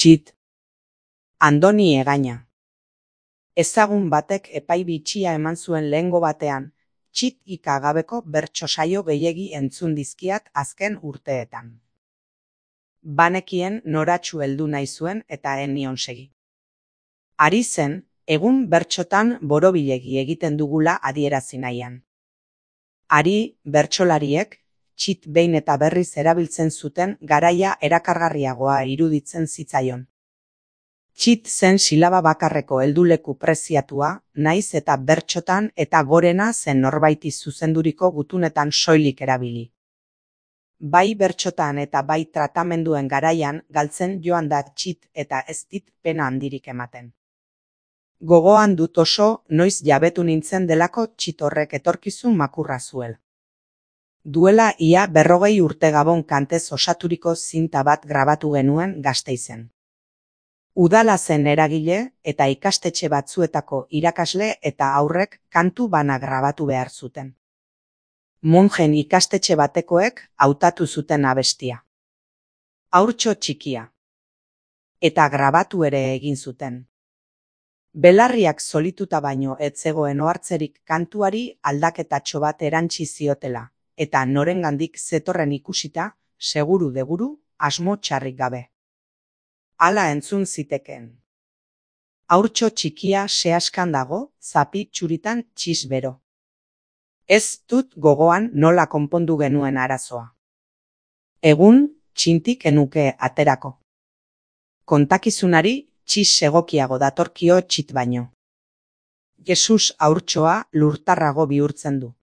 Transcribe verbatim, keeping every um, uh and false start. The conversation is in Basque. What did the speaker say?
Txit. Andoni Egaña. Ezagun batek epai bitxia eman zuen lehengo batean, txit ika gabeko bertso saio gehiegi entzun dizkiat azken urteetan. Banekien noratxu heldu nahi zuen eta ez nion segi. Ari zen, egun bertsotan borobilegi egiten dugula adierazi nahian. Ari, bertsolariek, txit behin eta berriz erabiltzen zuten garaia erakargarriagoa iruditzen zitzaion. Txit zen silaba bakarreko helduleku preziatua, naiz eta bertsotan eta gorena zen norbaiti zuzenduriko gutunetan soilik erabili. Bai bertsotan eta bai tratamenduen garaian galtzen joan da txit eta ez dit pena handirik ematen. Gogoan dut oso noiz jabetu nintzen delako txit horrek etorkizun makurra zuela. Duela ia berrogei urte Gabon kantez osaturiko zinta bat grabatu genuen Gasteizen. Udala zen eragile eta ikastetxe batzuetako irakasle eta haurrek kantu bana grabatu behar zuten. Monjen ikastetxe batekoek hautatu zuten abestia. Haurtxo txikia. Eta grabatu ere egin zuten. Belarriak solituta baino ez zegoen ohartzerik kantuari aldaketatxo bat erantsi ziotela, eta norengandik zetorren ikusita, seguru deguru, asmo txarrik gabe. Hala entzun zitekeen. Haurtxo txikia sehaskan dago, zapi txuritan txis bero. Ez dut gogoan nola konpondu genuen arazoa. Egun, txintik enuke aterako. Kontakizunari txis egokiago datorkio txit baino. Jesus haurtxoa lurtarrago bihurtzen du.